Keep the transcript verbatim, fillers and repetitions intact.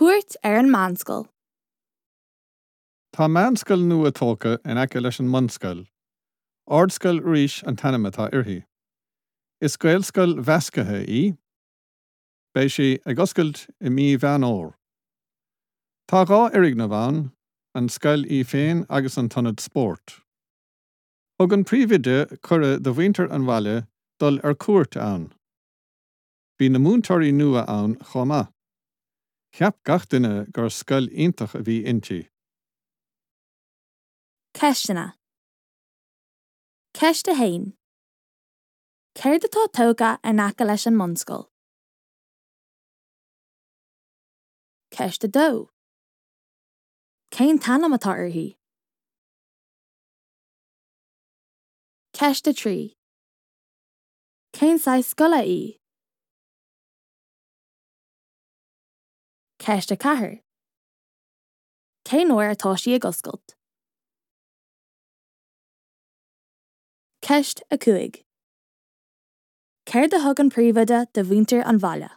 Cuairt ar an meánscoil. Tá meánscoil nua tógtha in aice leis an mbunscoil. Ardscoil Rís an t-ainm atá uirthi. Is Gaelscoil mheasctha í, Beidh sí ag oscailt i mí Mheán Fhómhair. Tá dhá fhoirgneamh ann, an scoil í féin agus an t-ionad spóirt. Thug an príomhoide cuireadh do mhuintir an bhaile dul ar cuairt ann. Bhí na múinteoirí nua ann chomh maith. Cheap gach duine gur scoil iontach a bhí inti. Ceisteanna. Ceist a haon. Céard atá tógtha in aice leis an mbunscoil? Ceist a dó. Cén t-ainm atá uirthi? Ceist a trí. Cén saghas scoile í? Ceist a ceathair. Cén uair atá sí ag oscailt? Ceist a cúig. Céard a thug an príomhoide do mhuintir an bhaile?